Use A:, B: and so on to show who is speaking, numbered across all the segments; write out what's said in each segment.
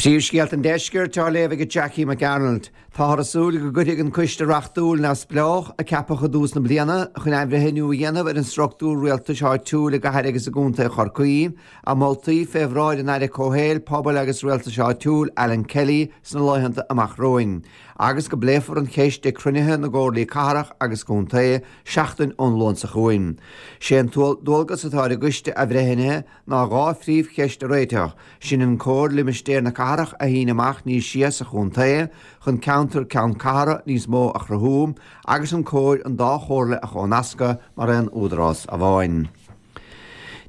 A: Príomhscéalta an Deiscirt á léamh ag Jackie McArnold. Táthar ag súil go gcuirfidh an coiste reachtúil neamhspleách, a ceapadh i dtús na bliana chun athbhreithniú a dhéanamh ar an struchtúr rialtais áitiúil i gcathair agus i gcontae Chorcaí, a mholtaí fé bhráid an Aire Comhshaoil, Pobail agus Rialtais Áitiúil, Alan Kelly, sna laethanta amach romhainn, agus go bpléifear an cheist ag cruinnithe na gcomhairlí cathrach agus contae seachtain ón Luan seo chugainn. Sé an dualgas atá ar an gcoiste athbhreithnithe ná 2 phríomhcheist a réiteach, sin an cóir limistéar na cathrach a shíneadh amach níos sia sa chontae chun ceantar ceann cathrach níos mó a chruthú agus an cóir an dá chomhairle a chomhnascadh mar aon údarás amháin.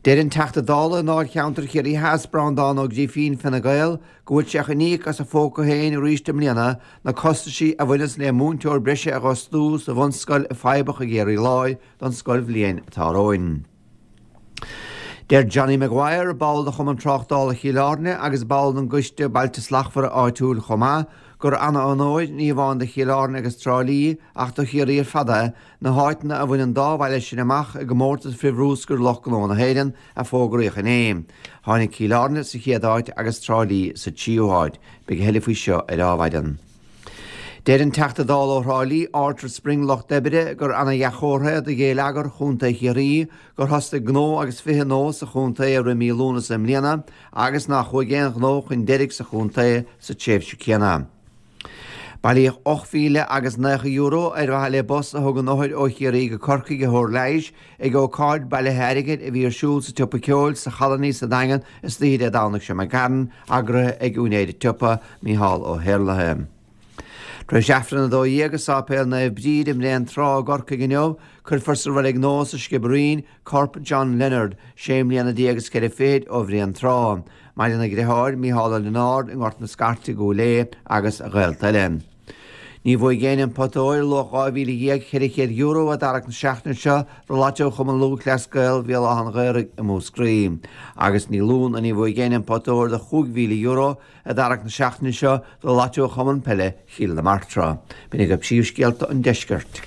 A: Deir an Teachta Dála i ndáilcheantar Chiarraí Theas, Breandán Ó Grifín, Fine Gael, go bhfuil sé chun íoc as a phóca féin arís i mbliana na costaisí a bhaineas le múinteoir breise a dh'fhostú sa bhunscoil i Feadhbach i gCiarraí Láir don scoilbhliain atá romhainn. Deir Johnny Maguire, ball de Chumann Tráchtála Chill Airne agus ball den gCoiste Bailte Slachtmhara áitiúil chomh maith, gur ana-onóir, ní amháin do Chill Airne agus Trá Lí ach do Chiarraí ar fad é, na háiteanna a bhain an dá bhaile sin amach i gcomórtas frithbhrúscair Lucht Gnó na hÉireann a fógraíodh inné. Tháinig Cill Airne sa chéad áit agus Trá Lí sa tríú háit. Beidh a thuilleadh faoi seo ar Adhmhaidin. Deir an Teachta Dála ó Thrá Lí, Arthur Spring, Lucht Oibre, gur ana-dhea-chomhartha é do ghéilleagar Chontae Chiarraí gur thosaigh gnó agus 20 ngnó sa chontae i rith mí Lúnasa i mbliana agus nár chuaigh aon ghnó chun deiridh sa chontae sa tréimhse céanna. Bailíodh €8,000 agus €90 ar mhaithe le bus a thugann othair ó Chiarraí go Corcaigh ar thóir leighis ag ócáid bailithe airgid a bhí ar siúl sa tSiopa Ceoil sa Cholony sa Daingean istoíche Dé Domhnaigh seo imigh tharainn, eagraithe ag úinéir an tsiopa, Mícheál Ó hÉarlaithe. Tar éis Aifreann 12 i Sáipéal Naomh Bríd i mBréan Trá i gCorcaigh inniu, cuirfear sa reilig nua sa Sciobairín corp John Leonard, sé mbliana déag is ceithre fichid ó Bhréan Trá. Maireann a dhriotháir, Mícheál Ó Lionáird i nGort na Scairte i gCúil Aodha agus a ghaolta eile. Ní bhuaigh éinne an pota óir luach €12,400 i dtarrac na seachtaine seo do Lotto Chumann Lúthchleas Gael Bhéal Átha an Ghaorthaidh i Múscraí. Agus ní lú ná ní bhuaigh éinne an pota óir de €5,000 i dtarrac na seachtaine seo do Lotto Chumann Peile Chill na Martra. B'in agaibh príomhscéalta an deiscirt.